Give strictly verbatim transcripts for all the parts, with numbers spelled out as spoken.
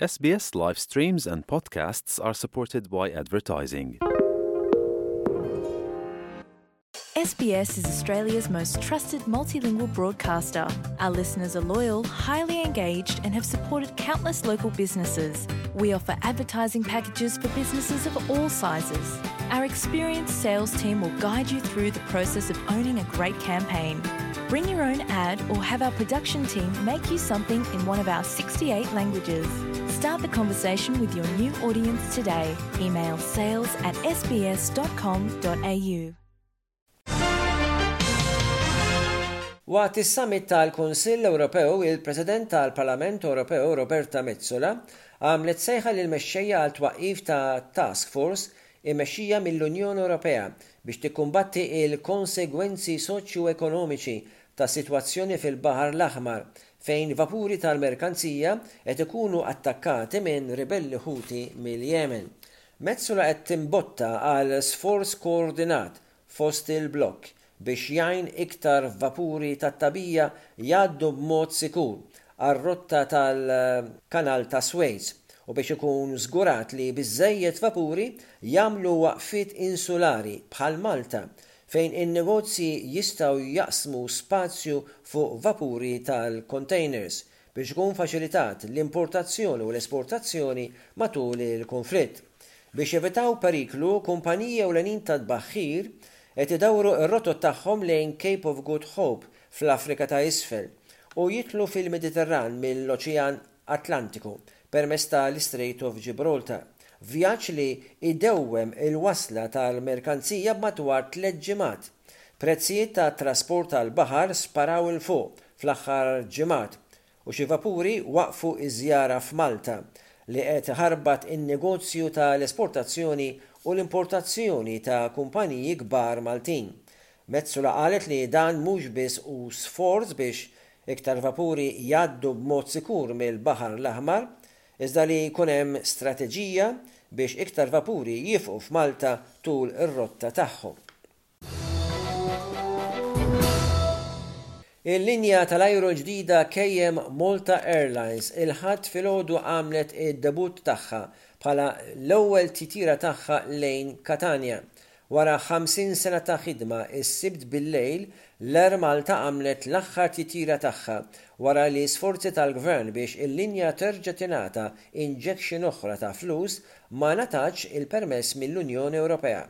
S B S live streams and podcasts are supported by advertising. S B S is Australia's most trusted multilingual broadcaster. Our listeners are loyal, highly engaged, and have supported countless local businesses. We offer advertising packages for businesses of all sizes. Our experienced sales team will guide you through the process of owning a great campaign. Bring your own ad or have our production team make you something in one of our sixty-eight languages. Start the conversation with your new audience today. Email sales at S B S dot com dot A U. Waqt is-summit tal-Kunsill Ewropew, il-President tal-Parlament Ewropew Roberta Metsola għamlet sejħa lil mexxejja għal twaqqif ta' task force immexxija mill-Unjoni Ewropea biex tikkumbatti il-konsegwenzi soċjo-ekonomiċi ta' sitwazzjoni fil-Baħar l-Aħmar, fejn vapuri tal-merkanzija qed ikunu attakkati minn ribelli Ħuti mill-Yemen. Metsola qed timbotta għal sforz koordinat fost il-blokk biex jgħin iktar vapuri tat-tagħbija jgħaddu b'mod sikur għar-rotta tal-Kanal ta' Suez u biex ikun żgurat li biżejjed vapuri jagħmlu waqfiet insulari bħal Malta, fejn in-negozji jistgħu jaqsmu spazju fuq vapuri tal-containers biex ikun faċilitat l-importazzjoni u l-esportazzjoni matul il-konflitt. Biex jevitaw periklu, kumpaniji ewlenin ta' tbaħħir qed idawru r-rotot tagħhom lejn Cape of Good Hope fl-Afrika ta' Isfel u jidħlu fil-Mediterran mill-Oċean Atlantiku permezz tal-Strait of Gibraltar. Vjaġġ li idewwem il-wasla tal-merkanzija b'madwar tliet ġimgħat. Prezzijiet ta' trasport tal-baħar sparaw 'il fuq fl-aħħar ġimgħat u xi vapuri waqfu iż-żjara f'Malta, li qed ħarbat in-negozju tal-esportazzjoni u l-importazzjoni ta' kumpaniji kbar Maltin. Metsola qalet li dan mhux biss hu sforz biex iktar vapuri jgħaddu b'mod sikur mill-Baħar l-Aħmar, iżda li jkun hemm strateġija biex iktar vapuri jieqfu f'Malta tul ir-rotta tagħhom. Il-linja tal-ajru ġdida K M Malta Airlines il-Ħadd filgħodu għamlet id-debut tagħha bħala l-ewwel titira tagħha lejn Katania. Wara ħamsin sena ta' ħidma, is-Sibt bil-lejl l-Air Malta għamlet l-aħħar titira tagħha wara li sforzi tal-gvern biex il-linja terġa' tingħata injection oħra ta' flus ma ngħatatx il-permess mill-Unjoni Ewropea.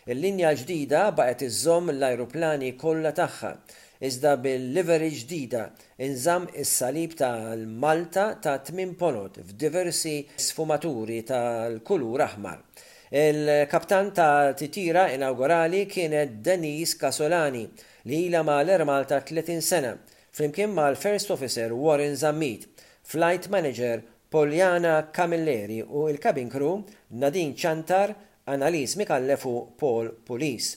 Il-linja ġdida baqgħet iżżomm l-ajruplani kollha tagħha, iżda bil-livery ġdida inżamm is-salib tal-Malta ta' tmien ponot f'diversi sfumaturi tal-kulur aħmar. Il-kaptan ta' titira inaugurali kienet Denise Casolani, li ilha ma' l-Air Malta tletin sena, flimkien mal-First Officer Warren Zammit, Flight Manager Poliana Camilleri u il-cabin crew Nadine Chantar, Annalise Mikallef u Paul Pulis.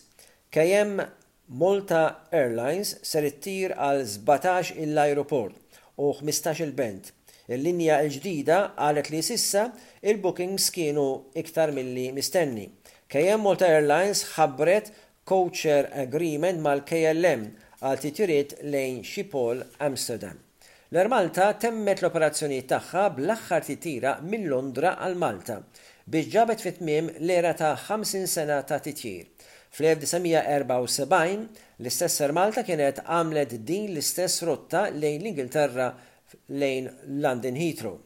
K M Malta Airlines ser ittir għal sbatax l-ajruport u ħmistax-il belt. Il-linja l-ġdida qalet li s'issa il-bookings kienu iktar milli mistenni. K M Malta Airlines ħabbret codeshare agreement mal-K L M għal titjiriet lejn Schiphol, Amsterdam. L-Air Malta temmet l-operazzjoni tagħha bl-aħħar titira minn Londra għal Malta biex ġabet fit-tmiem l-era ta' ħamsin sena ta' titjir. Fl-elf disa' mija erbgħa u sebgħin l-istess Air Malta kienet għamlet din l-istess rotta lejn l-Ingilterra, lejn London Heathrow.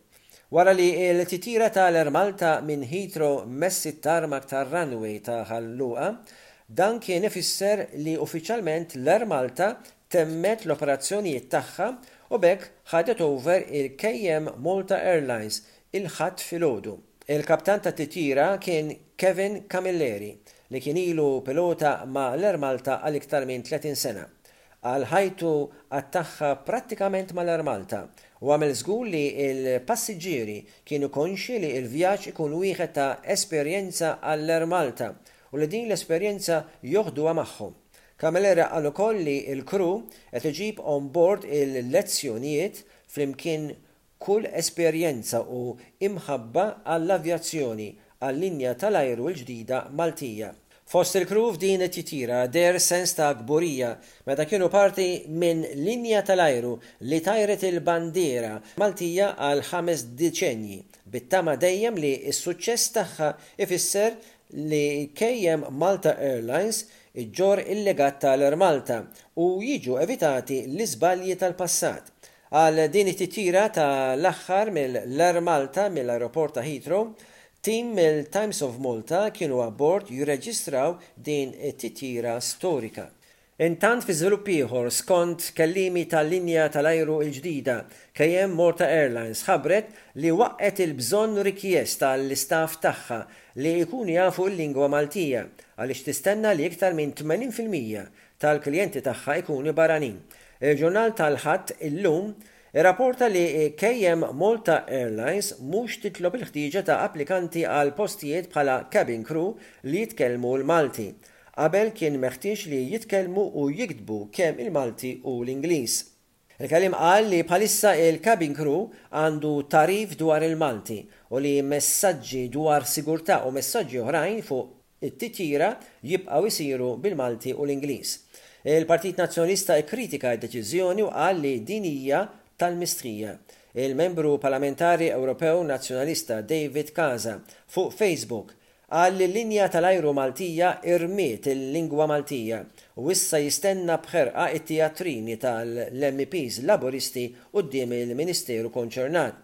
Wara li l-titira tal-Air Malta minn Heathrow messit tarmac tar-runway ta' Ħal Luqa, dan kien ifisser li uffiċjalment l-Air Malta temmet l-operazzjonijiet tagħha u b'hekk ħadet over il-K M Malta Airlines il-Ħadd filgħodu. Il-kaptan ta' titira kien Kevin Camilleri, li kien ilu pilota ma' l-Air Malta għal iktar minn tletin sena. Għal ħajtu qattagħha prattikament mal-Air Malta u għamel żgur li il-passiġġieri kienu konxi li il-vjaġġ ikun wieħed ta' esperjenza għall-Air Malta u li din l-esperjenza joħduha magħhom. Camilleri qal ukoll li l-crew qed iġib on board il-lezzjonijiet flimkien kull esperjenza u imħabba għall-avjazzjoni għall-linja tal-ajru l-ġdida Maltija. Fost il-crew f'din it-titira deher sens ta' kburija meta kienu parti minn linja tal-ajru li tajret il-bandiera Maltija għal ħames deċenji. Bit-tama dejjem li s-suċċess tagħha ifisser li K M Malta Airlines iġġorr il-legat tal-Air Malta u jiġu evitati l-iżbalji tal-passat. Għal din it-titjira ta' l-aħħar mill-Air Malta mill-aeroport ta' Heathrow, tim mill-Times of Malta kienu abbord jirreġistraw din it-titjira storika. Intant, fi żvilupp ieħor, skont kelliemi tal-linja tal-ajru il-ġdida, K M Malta Airlines ħabbret li waqqgħet il-bżonn rikjest tal-istaff tagħha li jkunu jafu l-lingwa Maltija għaliex tistenna li iktar minn tmenin fil-mija tal-klijenti tagħha ikunu barranin. Il-ġurnal tal-Ħadd Illum irrapporta li K M Malta Airlines mhux titlob il-ħtieġa ta' applikanti għal postijiet bħala cabin crew li jitkellmu l-Malti. Qabel kien meħtieġ li jitkellmu u jiktbu kemm il-Malti u l-Ingliż. Il-kelliem qal li bħalissa il-cabin crew għandu tagħrif dwar il-Malti u li messaġġi dwar sigurtà u messaġġi oħrajn fuq it-titjira jibqgħu jsiru bil-Malti u l-Ingliż. Il-Partit Nazzjonalista ikkritika d-deċiżjoni u qal li din hija tal-mistħija. Il-membru parlamentari Ewropew Nazzjonalista David Casa fuq Facebook qal li l-linja tal-ajru Maltija irmiet il-lingwa Maltija u issa jistenna b'ħerqa it-teatrini tal-M Ps Laburisti quddiem il-Ministeru konċernat.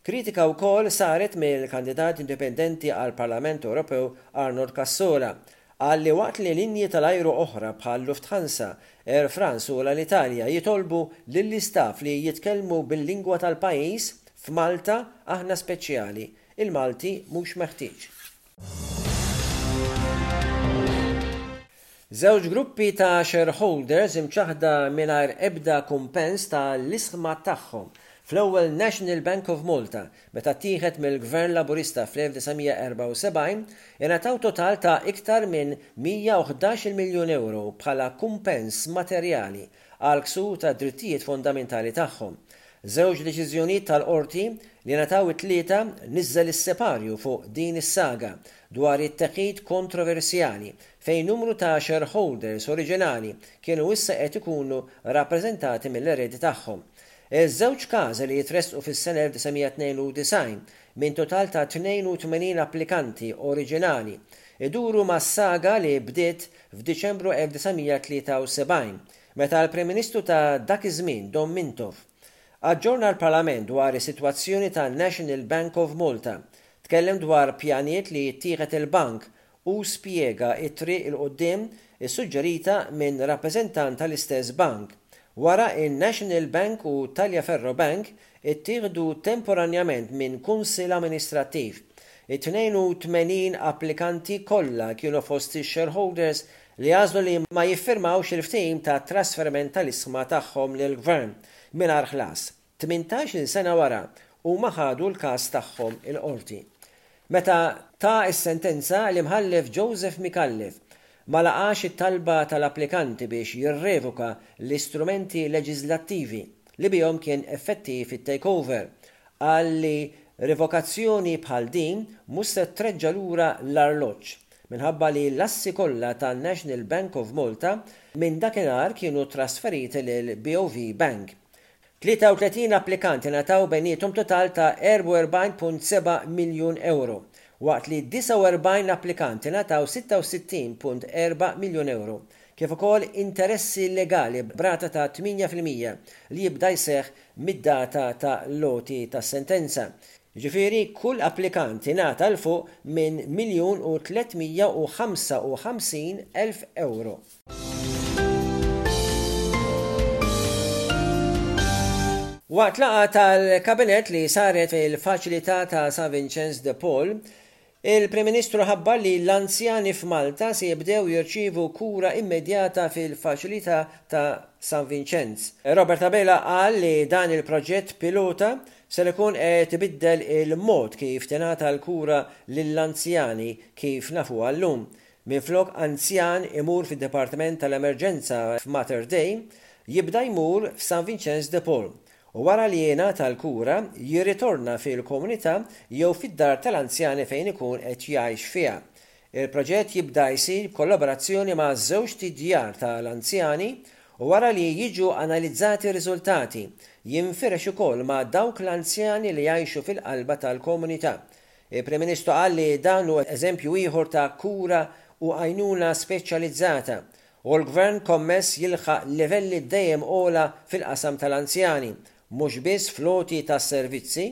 Kritika wkoll saret mill-kandidat indipendenti għal Parlament Ewropew Arnold Cassola, qal li waqt li linji tal-ajru oħra bħal Lufthansa, Air France u l-Italja jitolbu lill-istaff li jitkellmu bil-lingwa tal-pajjiż, f'Malta aħna speċjali, il-Malti mhux meħtieġ. Żewġ gruppi ta' shareholders imċaħda mingħajr ebda kumpens ta' l-ishma tagħhom fl-ewwel National Bank of Malta meta ttieħed mill-Gvern Laburista fl-elf disa' mija erbgħa u sebgħin ingħataw total ta' iktar minn mija u ħdax-il miljun euro bħala kumpens materjali għal ksur ta' drittijiet fondamentali tagħhom. Żewġ deċiżjonijiet tal-qorti li ngħataw it-Tlieta niżel is-separju fuq din is-saga dwar it-teħid kontroversjali fejn numru ta' shareholders oriġinali kienu issa qed ikunu rappreżentati mill-eredi tagħhom. Iż-żewġ każi li jitressqu fis-sena elf disa' mija tnejn u disgħin minn total ta' tnejn u tmenin applikanti oriġinali iduru ma' saga li bdiet f'Diċembru elf disa' mija tlieta u sebgħin meta l-Prim Ministru ta' dak iż-żmien, Dom Mintoff, aġġorna l-Parlament dwar is-sitwazzjoni ta' National Bank of Malta. Tkellem dwar pjanijiet li jittieħed il-bank u spjega it-triq 'il quddiem issuġġerita minn rappreżentant tal-istess bank. Wara, il-National Bank u Tagliaferro Bank ittieħdu temporanjament minn kunsill amministrattiv. It-tnejn u tmenin applikanti kollha kienu fost shareholders li għażlu li ma jiffirmawx il-ftehim ta' trasferiment tal-ishma tagħhom lill-gvern mingħajr ħlas. tmintax-il sena wara huma ħadu l-każ tagħhom il-qorti. Meta ta s-sentenza, l-imħallef Joseph Micallef ma laqax it-talba tal-applikanti biex jirrevoka l-istrumenti leġislattivi li bihom kien effettiv it-takeover. Qal li revokazzjoni bħal din mhux se treġġa' lura l-arloġġ minħabba li l-assi kollha tan-National Bank of Malta minn dakinhar kienu trasferiti lil B O V Bank. tlieta u tletin applikanti ngħataw bejniethom total ta' erbgħa u erbgħin punt seba' miljun euro, waqt li disgħa u erbgħin applikanti ngħataw sitta u sittin punt erba' miljun euro, kif ukoll interessi legali b'rata ta' tmienja fil-mija li jibda jseħħ mid-data ta' l-għoti tas-sentenza. Ġifieri kull applikant ingħata 'l fuq minn miljun u tliet mija u ħamsa u ħamsin elf euro. Waqt laqgħa tal-kabinet li saret fil-faċilità ta' San Vincenz de Paul, il-Prim Ministru ħabbar li l-anzjani f'Malta se jibdew jirċievu kura immedjata fil-faċilità ta' San Vincenz. Robert Abela qal li dan il-proġett pilota ser ikun qed ibiddel il-mod kif tingħata l-kura lill-anzjani kif nafuha llum. Minflok anzjan imur fid-Dipartiment tal-Emerġenza f'Mater Dei, jibda jmur f'San Vincenz de Paul u wara li jingħata l-kura jirritorna fil-komunità jew fid-dar tal-anzjani fejn ikun qed jgħix fiha. Il-proġett jibda jsir b'kollaborazzjoni ma' żewġt idjar tal-anzjani U wara li jiġu analizzati r-riżultati, jinfirex ukoll ma' dawk l-anzjani li jgħixu fil-qalba tal-komunità. Il-Prim Ministru qal li dan hu eżempju ieħor ta' kura u għajnuna speċjalizzata u l-gvern kommess jilħaq livelli dejjem ogħla fil-qasam tal-anzjani, mhux biss fl-għoti tas-servizzi,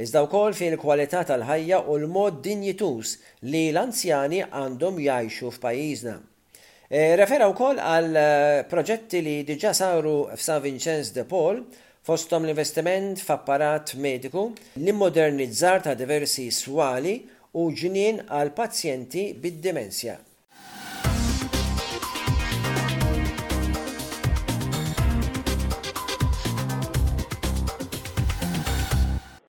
iżda wkoll fil-kwalità tal-ħajja u l-mod dinjituż li l-anzjani għandhom jgħixu f'pajjiżna. E, refera wkoll għal proġetti li diġà saru f'San Vincenz de Paul, fosthom l-investiment f'apparat mediku, l-immodernizzar ta' diversi swali u ġnien għal pazjenti bid-dimensja.